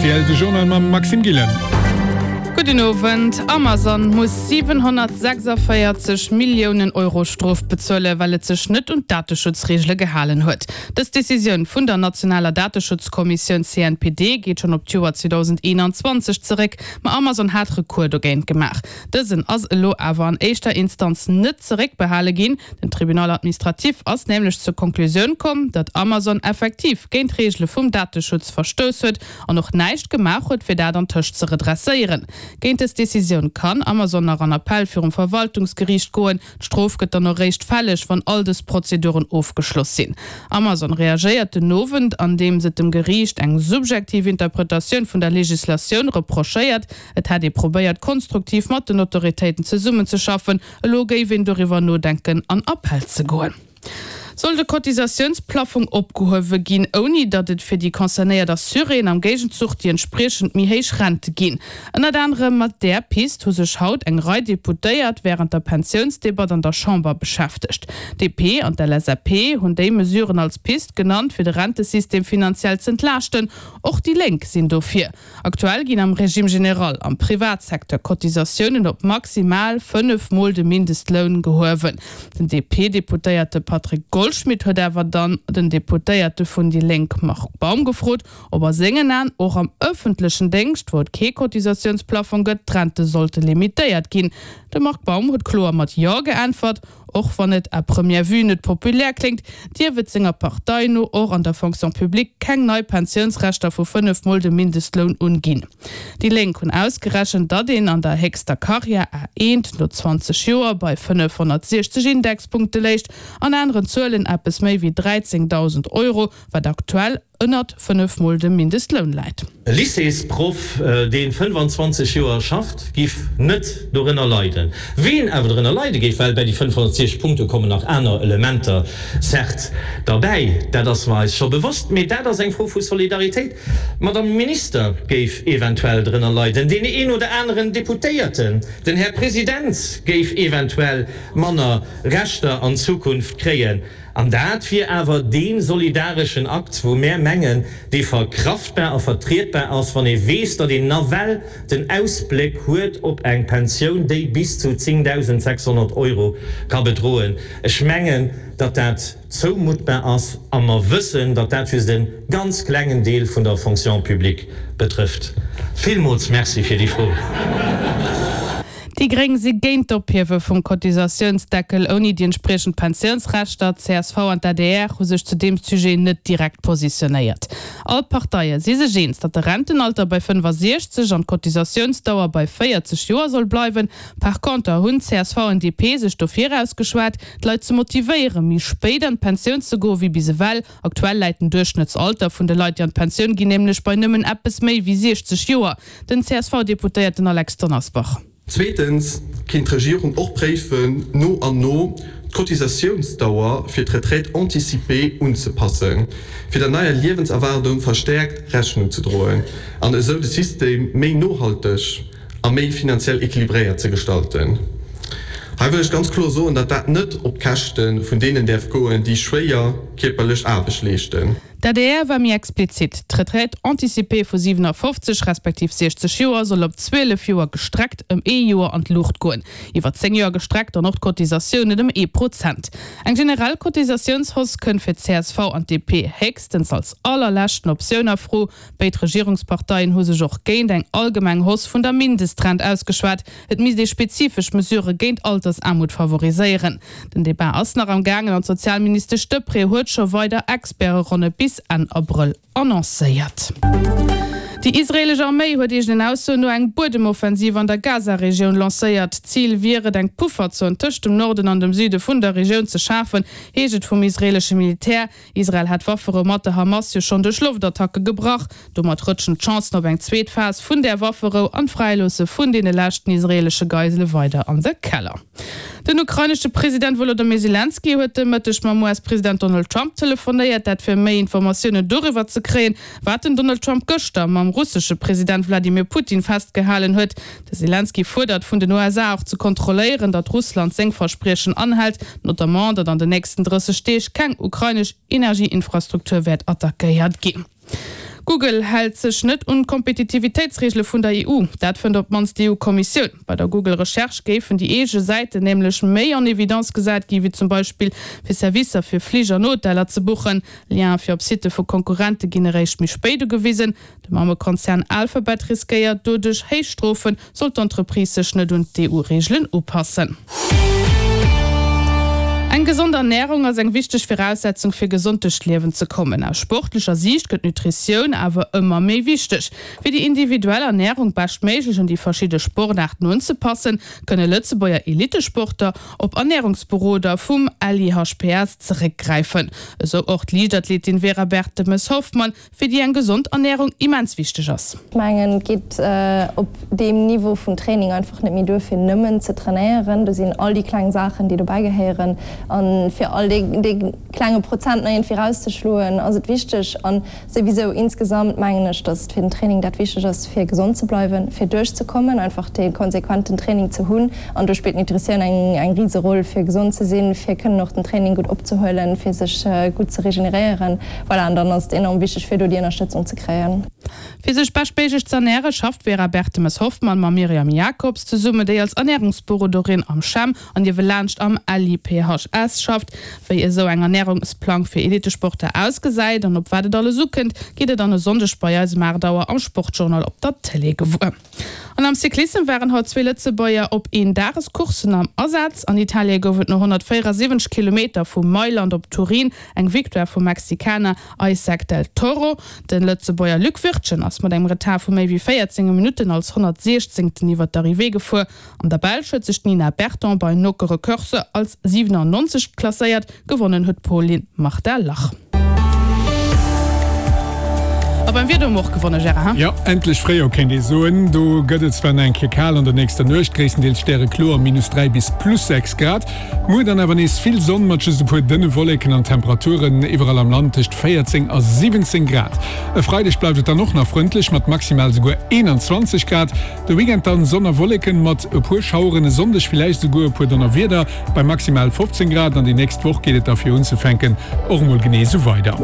Rtl, de Journal mam Maxime Gillen. Gudden Owend. Amazon muss 746 Milliounen Euro Strof bezuelen, well et sech net un d'Dateschutzreegele gehalen huet. Dës Decisioun vun der nationaler Dateschutzkommissioun CNPD geet schonn op d'Joer 2021 zeréck, ma Amazon hat Recours dogéint gemaach. Dësen ass elo awer an éischter Instanz net zeréckbehale ginn. Den Tribunal administratif ass nämlech zur Konklusioun komm, datt Amazon effektiv géint d'Reegele vum Dateschutz verstouss huet an och näischt gemaach huet, fir dat antëscht ze redresséieren. Géint dës Decisioun kann Amazon nach an Appell virum Verwaltungsgeriicht goen. D'Strof gëtt dann och eréischt fälleg, wann all dës Prozeduren ofgeschloss sinn. Amazon reagéiert den Owend, andeems et dem Geriicht eng subjektiv Interpretatioun vun der Legislatioun reprochéiert. Et hätt ee probéiert, konstruktiv mat den Autoritéiten zesummenzeschaffen. Elo géif een doriwwer nodenken, an Appell ze goen. Soll de Cotisatiounsplaffong opgehuewe ginn, ouni datt et fir déi concernéiert Assuréen am Géigenzuch déi entspriechend méi héich Rente ginn? Ënnert anerem mat där Pist hu sech haut eng Rei Deputéiert wärend der Pensiounsdebatt an der Chamber beschäftegt. DP an d'LSAP hunn déi Mesuren als Pist genannt, fir de Rentesystem finanziell z'entlaaschten. Och déi Lénk sinn dofir. Aktuell ginn am Régime général am Privatsecteur Cotisatiounen op maximal 5 mol de Mindestloun gehuewen. Den DP-Deputéierte Patrick Goldschmidt huet awer dann den Deputéierte vun déi Lénk Marc Baum gefrot, ob a sengen Aen och am ëffentlechen Déngscht, wou et kee Cotisatiounsplafong gëtt, d'Rente sollte limitéiert ginn. De Marc Baum huet kloer mat Jo geäntwert. Och wann et à première vue net populär kléngt, dierf et senger Partei no och an der Fonction publique keng nei Pensiounsrechter vu 5 mol dem Mindestloun un ginn. Déi Lénk hunn ausgerechent, datt een an der héchster Karriär, A1, no 20 Joer bei 560 Indexpunkte léicht, an aneren Zuelen eppes méi wéi 13.000 Euro, wat aktuell ënnert 5 mol dem Mindestloun läit. E Lycéesproff, dee 25 Joer schafft, giff net dorënner leiden. Ween awer dorënner leide géif, well bäi déi 560 Punkte kommen nach aner Elementer certes derbäi, dat ass mer eis scho bewosst, mee dat ass eng Fro vu Solidaritéit, d'Madame Minister géif eventuell drënner leiden, deen een oder aneren Deputéierten, den Här President géif eventuell manner Rechter an Zukunft kréien. An dat wier awer dee solidareschen Akt, wou mär mengen, dee verkraftbar a vertrietbar ass, wann ee weess, datt een nawell den Ausbléck huet op eng Pensioun, déi bis zu 10.600 Euro ka bedroen. Ech mengen, datt dat zoumuttbar ass, a mer wëssen, datt dat just e ganz klengen Deel vun der Fonction publique betrëfft. Villmools Merci fir déi Fro. Déi Gréng si géint d'Ophiewe vum Cotisatiounsdeckel ouni déi entspriechend Pensiounsrechter. D'CSV an d'ADR hu sech zu deem Sujet net direkt positionéiert. All d'Parteie si sech eens, datt de Rentenalter bei 65 an d'Cotisatiounsdauer bei 40 Joer soll bleiwen. Par conter hunn csv an DP sech dofir ausgeschwat, d'Leit ze motivéieren, méi spéit an d'Pensioun ze goe wéi bis ewell. Aktuell läit den Duerchschnëttsalter vun de Leit, déi an d'Pensioun ginn, nämlech bei nëmmen eppes méi wéi 60 Joer. Den CSV-Deputéierten Alex Donnersbach. Zweetens kéint d'Regierung och préifen, no an no d'Cotisatiounsdauer fir d'Retraite anticipée unzepassen, fir der neier Liewenserwaardung verstäerkt Rechnung ze droen an esou de System méi nohalteg a méi finanziell équilibréiert ze gestalten. Hei wëll ech ganz kloer soen, datt dat net op d'Käschte vun deenen däerf goen, déi schwéier kierperlech Aarbecht leeschten. D'ADR war méi explizit, D'Retraite anticipée vu 57 respektiv 60 Joer soll op 12 Joer gestreckt ëm ee Joer an d'Luucht goen. Iwwer 10 Joer gestreckt dann och d'Cotisatiounen ëm ee Prozent. Eng generell Cotisatiounshausse kënnt fir d'CSV an d'DP héchstens als allerleschten Optioun a Fro. Béid Regierungsparteien hu sech och géint eng allgemeng Hausse vun der Mindestrent ausgeschwat. Et misst ee spezifesch Mesurë géint Altersaarmut favoriséieren. Den Debat ass nach am gaangen an d'Sozialministesch Deprez huet scho weider Experteronne bis Enn Abrëll annoncéiert. Déi israeelesch Arméi huet eegenen Aussoen no eng Buedemoffensiv an der Gaza-Regioun lancéiert. Zil wier et, eng Pufferzon tëscht dem Norden an dem Süde vun der Regioun ze schafen, heescht et vum israeelesche Militär. Israel hat d'Wafferou mat der Hamas jo schonn duerch Loftattacke gebrach. Domat rëtschen d'Chancen op eng zweet Phas vun där Wafferou an d'Fräiloosse vun deene leschten israeelesche Geisele weider an de Keller. Den ukrainesche President Wolodymyr Selenskyj huet de Mëtteg mam US-President Donald Trump telefonéiert, dat fir méi Informatiounen doriwwer ze kréien, wat den Donald Trump gëschter mam russesche President Wladimir Putin festgehalen huet. De Selenskyj fuerdert vun den USA och ze kontrolléieren, datt Russland seng Verspriechen anhält, notamment datt an den nächsten 30 Deeg keng ukrainesch Energieinfrastruktur wäert attackéiert ginn. Google hält sech net un d'Kompetitivitéitsreegele vun der EU. Dat fënnt op d'mannst d'EU-Kommissioun. Bei der Google-Recherche géifen déi eege Säiten nämlech méi en Evidence gesat gi wéi zum Beispill fir Servicer fir Flich an Hoteller ze buchen. Lienen fir op Sitte vu Konkurrente ginn eréischt méi spéit ugewisen. De Mammekonzern Alphabet riskéiert doduerch héich Strofen, sollt d'Entreprise sech net un d'EU-Reegelen upassen. Eng gesond Ernärung ass eng wichteg Viraussetzung fir gesond duerch d'Liewen ze kommen. Aus sportlecher Siicht gëtt d'Nutritioun awer ëmmer méi wichteg. Fir déi individuell Ernärung beschtméiglech un déi verschidde Sportaarten unzepassen, kënne Lëtzebuerger Elittesporter op Ernärungsberoder vum LIHPS zeréckgräifen. Esou och d'Liichtathletin Vera Bertemes-Hoffmann, fir déi eng gesond Ernärung immens wichteg ass. Ech mengen, et geet op deem Niveau vun Training einfach net méi duer, fir nëmmen ze trainéieren. Do sinn all déi kleng Saachen, déi dobäi gehéieren. A fir all dee klenge Prozent nach iergendwéi erauszeschloen, ass et wichteg. A souwisou insgesamt mengen ech, datt et fir den Training dat wichteg ass, fir gesond ze bleiwen, fir duerchzekommen, einfach dee konsequenten Training ze hunn. An do spillt d'Nutritioun eng rise Roll, fir gesond ze sinn, fir kënnen och den Training gutt opzehuelen, fir sech gutt ze regeneréieren. Voilà, an dann ass et enorm wichteg, fir do déi Ënnerstëtzung ze kréien. Fir sech beschtméiglech z'ernäre schafft d'Vera Bertemes-Hoffmann mam Myriam Jacobs zesummen, déi als Ernärungsberoderin am CHEM an niewelaanscht am LIPHS schafft. Wéi esou eng Ernärungsplang fir Elitesportler ausgesäit an op wat et alles ukënnt, gitt der dann e Sonndeg bei eis um 8 Auer am Sportjournal op der Tëlee gewuer. An am Cyclissem waren haut zwee Lëtzebuerger op Eendagescourssen am Asaz. An Italie gouf et no 174 Kilometer vu Mailand op Turin eng Victoire vum Mexikaner Isaac del Toro. De Lëtzebuerger Luc Wirtgen ass mat engem Retard vu méi wéi 14 Minutten als 116. iwwer d'Arrivée gefuer. An der Belsch huet sech d'Nina Berton bei Nokere Koerse als 97. Klasséiert. Gewonnen huet d'Polin Marta Lach. A beim Wieder hu mer och gewonne, Gérard, he? Jo, endlech Fréijoer kéint ee soen. Do gëtt et zwar nach eng Kéier kal an der nächster Nuecht, gréisstendeels stärekloer, minus 3 bis plus 6 Grad. Muer dann awer nees vill Sonn mat just e puer dënne Wolleken an Temperaturen iwwerall am Land tëscht 14 a 17 Grad. E Freideg bleift et dann och nach frëndlech mat maximal souguer 21 Grad. De Weekend dann Sonn a Wolleken mat e puer Schaueren, e Sonndeg villäicht esouguer e puer Donnerwieder bei maximal 15 Grad an déi nächst Woch geet et da fir unzefänken och emol genee esou weider.